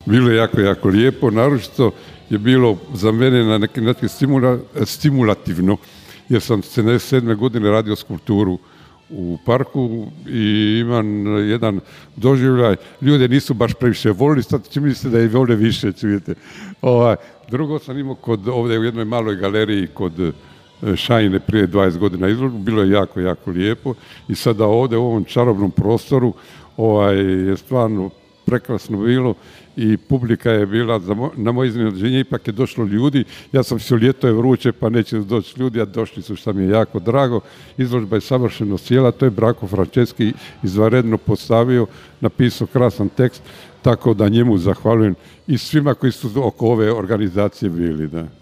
bilo je jako, jako lijepo. Naročito je bilo za mene na neki način stimulativno, jer sam 77. godine radio skulpturu u parku i imam jedan doživljaj. Ljude nisu baš previše volili, sad čini se da je vole više, čujete. Drugo sam imao ovdje u jednoj maloj galeriji kod Šajine prije 20 godina izložbu, bilo je jako, jako lijepo i sada ovdje u ovom čarobnom prostoru je stvarno prekrasno bilo i publika je bila, na moje iznenađenje ipak je došlo ljudi, ja sam mislio ljeto je vruće pa neće doći ljudi, a došli su, što mi je jako drago. Izložba je savršeno sjela, to je Branko Franceski izvanredno postavio, napisao krasan tekst, tako da njemu zahvaljujem i svima koji su oko ove organizacije bili. Da.